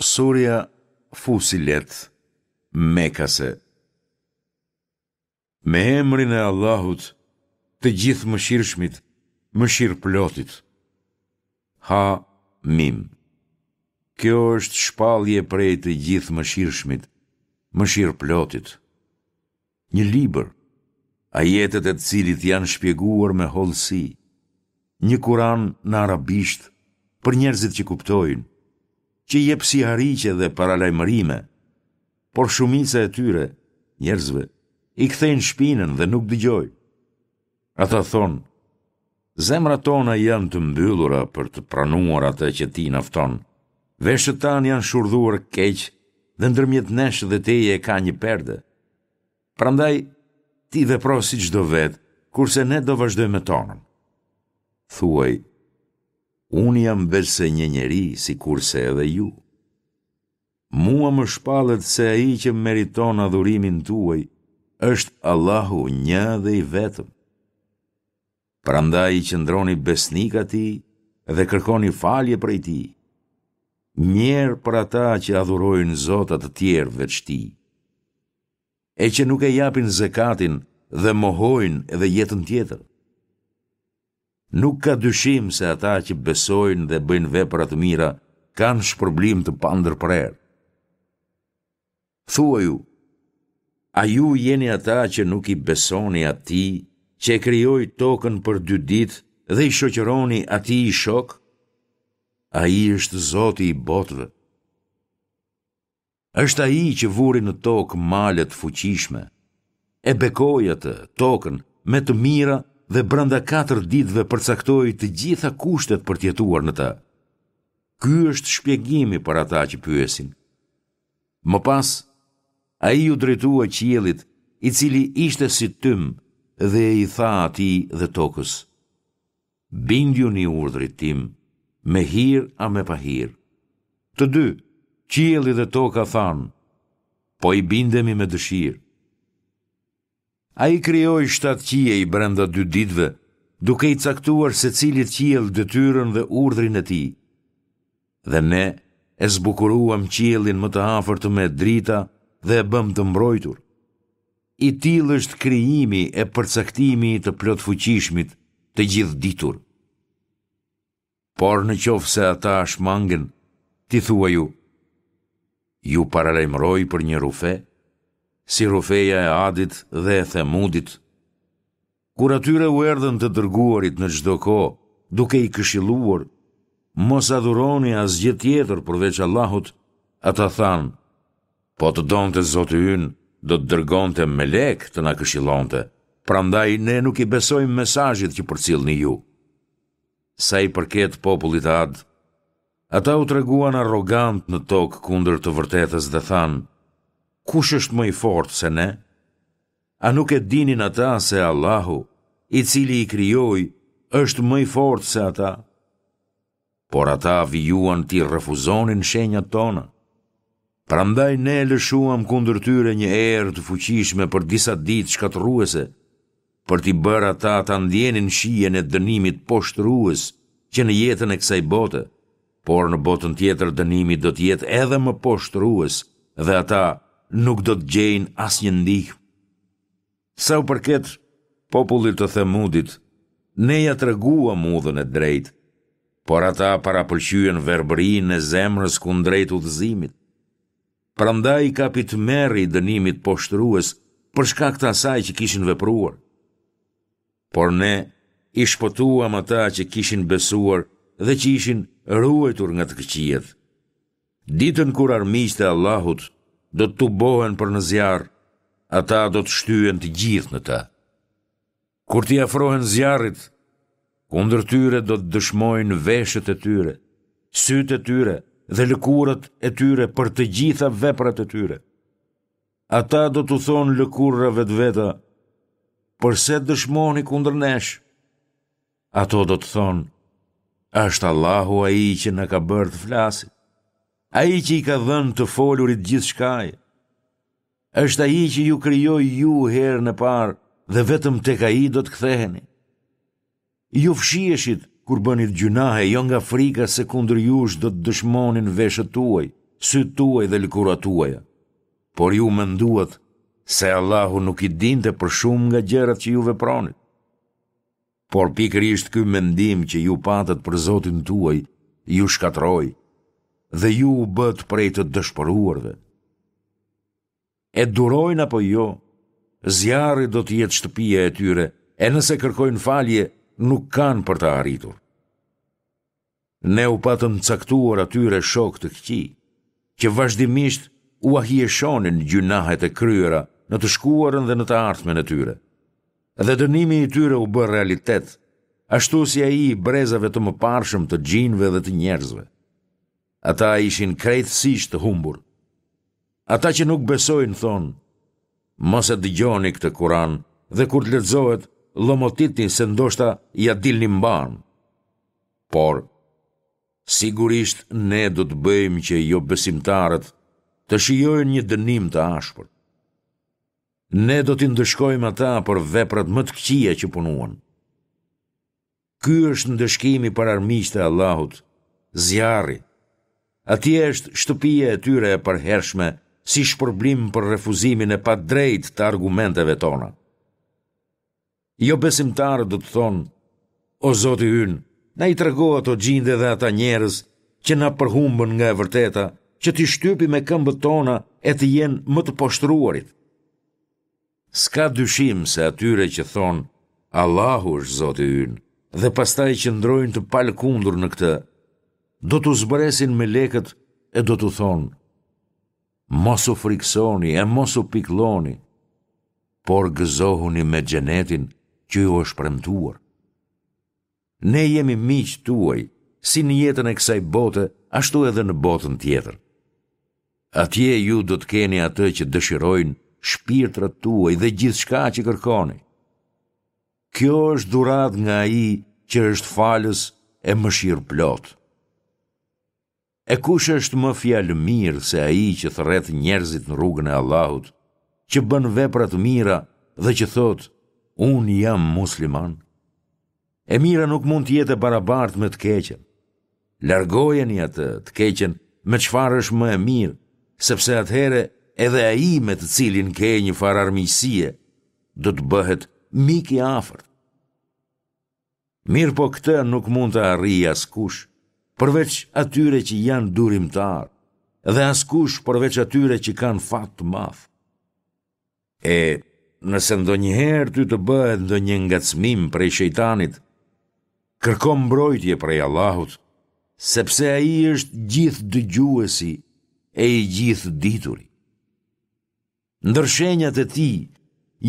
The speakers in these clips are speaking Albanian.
Surja Fusilet, Mekase Me emrin e Allahut, të Gjithëmëshirshmit, Mëshirëplotit. Ha Mim. Kjo është shpallje prej të Gjithëmëshirshmit, Mëshirëplotit. Një libër, ajetet e të cilit janë shpjeguar me hollësi, një Kuran në arabisht për njerëzit që kuptojnë, që jep sihariqe dhe paralajmërime, por shumica e tyre, njerëzve, i kthejnë shpinën dhe nuk dëgjojnë. Ata thonë, zemrat tona janë të mbyllura për të pranuar atë që ti na fton. Veshët tanë janë shurdhuar keq dhe ndërmjet nesh dhe teje ka një perde. Prandaj, ti vepro siç do vetë, kurse ne do vazhdojmë me tonën. Thuaj, unë jam veçse një njeri, sikurse edhe ju. Mua më shpallet se ai që meriton adhurimin tuaj është Allahu një dhe i vetëm. Prandaj i qëndroni besnik atij dhe kërkoni falje prej tij. Mjerë për ata që adhurojnë zota të tjerë veç tij. E që nuk e japin zekatin dhe mohojnë edhe jetën tjetër. Nuk ka dyshim se ata që besojnë dhe bëjnë vepra të mira kanë shpërblim të pandërprerë. Thuaju, a ju jeni ata që nuk i besoni atij që e krijoi tokën për dy ditë dhe i shoqëroni atij shokë? Ai është Zoti i botëve. Është ai që vuri në tokë male të fuqishme, e bekoi atë, tokën, me të mira dhe brenda katër ditëve përcaktoi të gjitha kushtet për të jetuar në të. Ky është shpjegimi për ata që pyesin. Më pas, ai iu drejtua qiellit, i cili ishte si tym dhe i tha atij dhe tokës. Bindjuni urdhrit tim, me hir a me pahir. Të dy, qielli dhe toka thanë, po i bindemi me dëshirë. Ai krijoi shtatë qiej brenda dy ditëve, duke i caktuar secilit qiell detyrën dhe urdhrin e tij. Dhe ne e zbukuruam qiellin më të afërt me drita dhe e bëmë të mbrojtur. I tillë është krijimi e përcaktimi i të plotfuqishmit, të gjithëditur. Por në qoftë se ata shmangen, ti thuaju, ju paralajmëroj për një rrufe, si rrufeja e Adit dhe e Themudit, Kur atyre u erdhën të dërguarit në çdo kohë, duke i këshilluar, mos adhuroni asgjë tjetër përveç Allahut, ata thanë, po të donte Zoti ynë, do të dërgonte melekë të na këshillonte, prandaj ne nuk i besojmë mesazhit që përcillni ju. Sa i përket popullit Ad, ata u treguan arrogantë në tokë kundër të vërtetës dhe thanë, kush është më i fortë se ne? A nuk e dinin ata se Allahu, i cili i krijoi, është më i fortë se ata? Por ata vijuan t'i refuzonin shenjat tona. Prandaj ne lëshuam kundër tyre një erë të fuqishme për disa ditë shkatërruese, për t'i bërë ata ta ndjenin shijen e dënimit poshtërues që në jetën e kësaj bote, por në botën tjetër dënimi do të jetë edhe më poshtërues dhe ata nuk do të gjejnë asnjë ndihmë. Sa u përket popullit të Themudit, ne ia treguam udhën e drejtë, por ata parapëlqyen verbërinë e zemrës kundrejt udhëzimit. Prandaj i kapi tmerri i dënimit poshtërues për shkak të asaj që kishin vepruar. Por ne i shpëtuam ata që kishin besuar dhe që ishin ruajtur nga të këqijat. Ditën kur armiqtë e Allahut do të tubohen për në zjarr, ata do të shtyhen të gjithë në të. Kur t'i afrohen zjarrit, kundër tyre do të dëshmojnë veshët e tyre, sytë e tyre dhe lëkurat e tyre për të gjitha veprat e tyre. Ata do t'u thonë lëkurave të veta, përse dëshmoni kundër nesh? Ato do të thonë, është Allahu ai që na ka bërë të flasim, ai që i ka dhënë të folurit gjithçkaje, është ai që ju krijoi ju herën e parë dhe vetëm tek ai do të ktheheni. Ju fshiheshit kur bënit gjynahe jo nga frika se kundër jush do të dëshmonin veshët tuaj. sytë tuaj dhe lëkurat tuaja. Por ju menduat se Allahu nuk i dinte për shumë nga gjërat që ju vepronit. Por pikërisht ky mendim që ju patët për Zotin tuaj ju shkatërroi dhe ju u bëtë prej të dëshpëruarve. E durojnë apo jo, zjarri do të jetë shtëpia e tyre, e nëse kërkojnë falje, nuk kanë për ta arritur. Ne u patëm caktuar atyre shokë të këqij, që vazhdimisht ua hijeshonin gjynahet e kryera në të shkuarën dhe në të ardhmen e tyre. Dhe dënimi i tyre u bë realitet, ashtu si ai i brezave të mëparshëm të xhinëve dhe të njerëzve. Ata ishin krejtësisht të humbur. Ata që nuk besojnë thonë, mos e dëgjoni këtë Kuran dhe kur të lexohet, llomotitni se ndoshta ia dilni mbanë. Por, sigurisht ne do të bëjmë që jobesimtarët të shijojnë një dënim të ashpër. Ne do t'i ndëshkojmë ata për veprat më të këqija që punuan. Ky është ndëshkimi për armiqtë e Allahut, zjarri. Atje është shtëpia e tyre e përhershme si shpërblim për refuzimin e padrejtë të argumenteve tona. Jobesimtarët do të thonë, o Zoti ynë, na i trego ato xhinde dhe ata njerëz që na përhumbën nga e vërteta, që t'i shtypim me këmbët tona e të jenë më të poshtëruarit. S'ka dyshim se atyre që thonë Allahu është Zoti ynë dhe pastaj qëndrojnë të palëkundur në këtë, do t'u zbresin melekët e do t'u thonë Mos u frikësoni e mos u pikëlloni, por gëzohuni me xhenetin që ju është premtuar. Ne jemi miqtë tuaj, si në jetën e kësaj bote, ashtu edhe në botën tjetër. Atje ju do të keni atë që dëshirojnë shpirtrat tuaj dhe gjithçka që kërkoni. Kjo është dhuratë nga ai që është falës e mëshirëplotë. E kush është më fjalëmirë se ai që thërret njerëzit në rrugën e Allahut, që bën vepra të mira dhe që thotë, unë jam musliman? E mira nuk mund të jetë e barabartë me të keqen. Largojeni atë të keqen me çfarë është më e mirë, sepse atëherë edhe ai me të cilin ke një farë armiqësie, do të bëhet mik i afërt. Mirëpo këtë nuk mund ta arrijë askush, përveç atyre që janë durimtarë, dhe askush përveç atyre që kanë fat të madh. E, nëse ndonjëherë ty të bëhet ndonjë ngacmim prej shejtanit, kërko mbrojtje prej Allahut, sepse ai është gjithëdëgjuesi e i gjithëdituri. Ndër shenjat e tij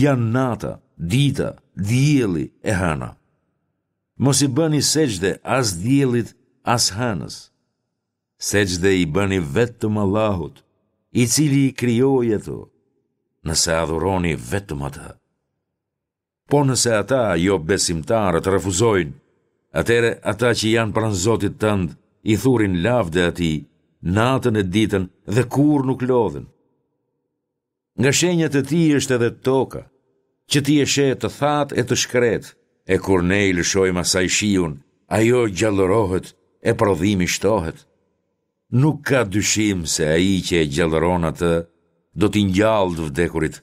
janë nata, dita, dielli e hëna. Mos i bëni sexhde as diellit, as hënës. Sexhde i bëni vetëm Allahut, i cili i krijoi ato, nëse adhuroni vetëm atë. Po nëse ata, jobesimtarët, refuzojnë, atëherë ata që janë pranë Zotit tënd i thurin lavde atij, natën e ditën dhe kurrë nuk lodhen. Nga shenjat e tij është edhe toka, që ti e sheh të thatë e të shkretë, e kur ne i lëshojmë asaj shiun, ajo gjallërohet e prodhimi shtohet. Nuk ka dyshim se ai që e gjallëron atë do t'i ngjallë të vdekurit,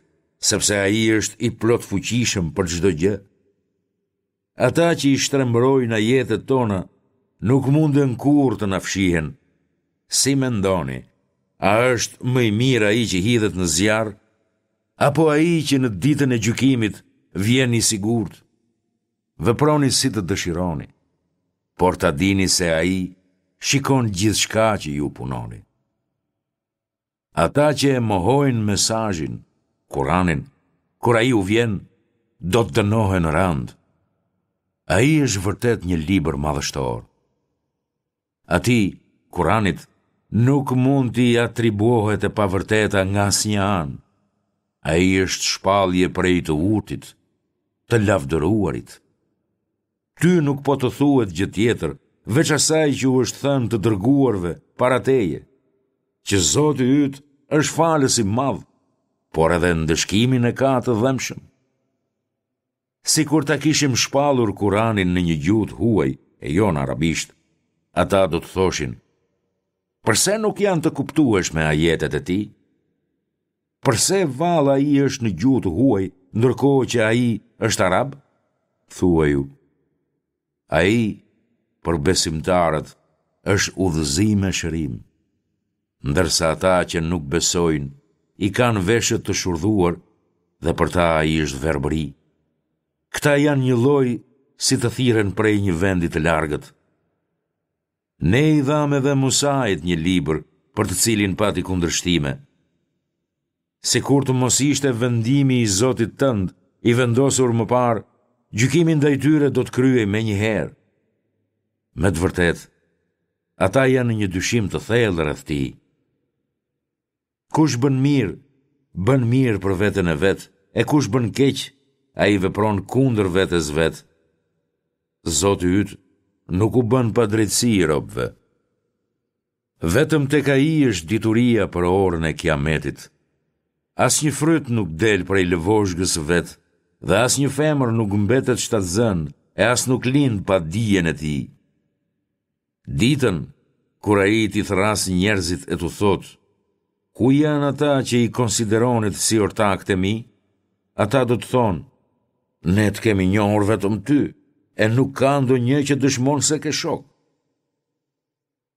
sepse ai është i plotfuqishëm për çdo gjë. Ata që i shtrembërojnë ajetet tona nuk munden kurrë të na fshihen. Si mendoni, a është më i mirë ai që hidhet në zjarr, apo ai që në ditën e gjykimit vjen i sigurt? Veproni si të dëshironi, por ta dini se ai shikon gjithçka që ju punoni. Ata që e mohojnë mesazhin, Kuranin, kur ai u vjen, do të dënohen rëndë. Ai është vërtet një libër madhështor. Atij, Kuranit, nuk mund t'i atribuohet e pavërteta nga asnjë anë. Ai është shpallje prej të urtit, të lavdëruarit. Ty nuk po të thuhet gjë tjetër, veç asaj që u është thënë të dërguarve para teje, që Zoti yt është falës i madh, por edhe ndëshkimin e ka të dhembshëm. Sikur ta kishim shpallur Kuranin në një gjuhë të huaj, e jo në arabisht, ata do të thoshin. Përse nuk janë të kuptueshme ajetet e tij? Përse vallë ai është në gjuhë të huaj, ndërkohë që ai është arab? Thuaju, ai për besimtarët është udhëzim e shërim, ndërsa ata që nuk besojnë i kanë veshët të shurdhuar dhe për ta ai është verbëri. Këta janë njëlloj si të thirren prej një vendi të largët. Ne i dhamë edhe Musait një libër për të cilin pati kundërshtime. Sikur të mos ishte vendimi i Zotit tënd i vendosur më parë, gjykimi ndaj tyre do të kryhej menjëherë. Me të vërtetë, ata janë në një dyshim të thellë rreth tij. Kush bën mirë, bën mirë për veten e vet, e kush bën keq, ai vepron kundër vetes vet. Zoti yt nuk u bën padrejtësi robëve. Vetëm tek ai është dituria për orën e Kiametit. Asnjë fryt nuk del prej lëvozhgës së vet dhe asnjë femër nuk mbetet shtatzënë e as nuk lind pa dijen e tij. Ditën, kur ai t'i thërrasë njerëzit e t'u thotë, Ku janë ata që i konsideronit si ortakët e mi? Ata do të thonë, Ne të kemi njohur vetëm ty, e nuk ka ndonjë që dëshmon se ke shok.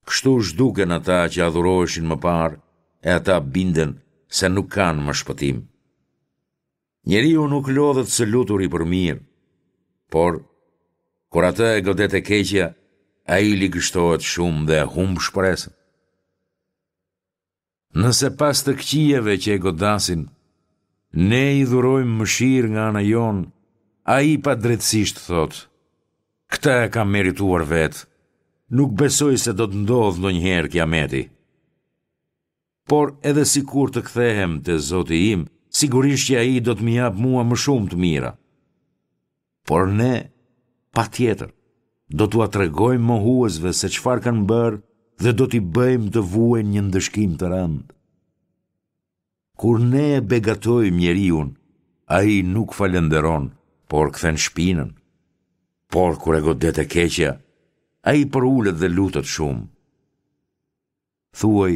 Kështu zhduken ata që adhuroheshin më parë, e ata binden se nuk kanë më shpëtim. Njeriu nuk lodhet së luturi për mirë, por, kur atë e godet e keqja, ai ligështohet shumë dhe e humb shpresën. Nëse pas të këqijave që e godasin, ne i dhurojmë mëshirë nga ana jonë, ai padrejtësisht thotë, këtë e kam merituar vetë, nuk besoj se do të ndodhë ndonjëherë kiameti. Por edhe sikur të kthehem te Zoti im, sigurisht që ai do të më japë mua më shumë të mira. Por ne, patjetër, do t'ua tregojmë mohuesve se çfarë kanë bërë dhe do t'i bëjmë të vuajnë një ndëshkim të rëndë. Kur ne e begatojmë njeriun, ai nuk falënderon, por kthen shpinën. Por kur e godet e keqja, ai përulet dhe lutet shumë. Thuaj,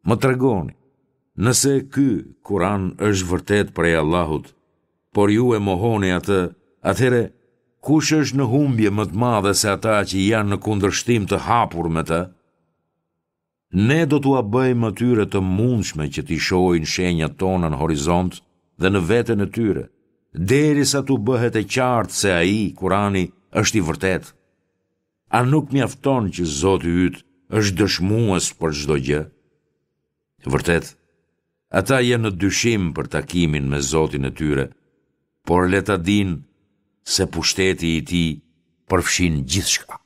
më tregoni, nëse ky Kur'an është vërtet prej Allahut, por ju e mohoni atë, atëherë kush është në humbje më të madhe se ata që janë në kundërshtim të hapur me të? Ne do t'ua bëjmë atyre të mundshme që t'i shohin shenjat tona në horizont dhe në veten e tyre, derisa t'u bëhet e qartë se ai, Kurani, është i vërtetë. A nuk mjafton që Zoti yt është dëshmues për çdo gjë? Vërtet, ata janë në dyshim për takimin me Zotin e tyre, por le ta dinë se pushteti i tij përfshin gjithçka.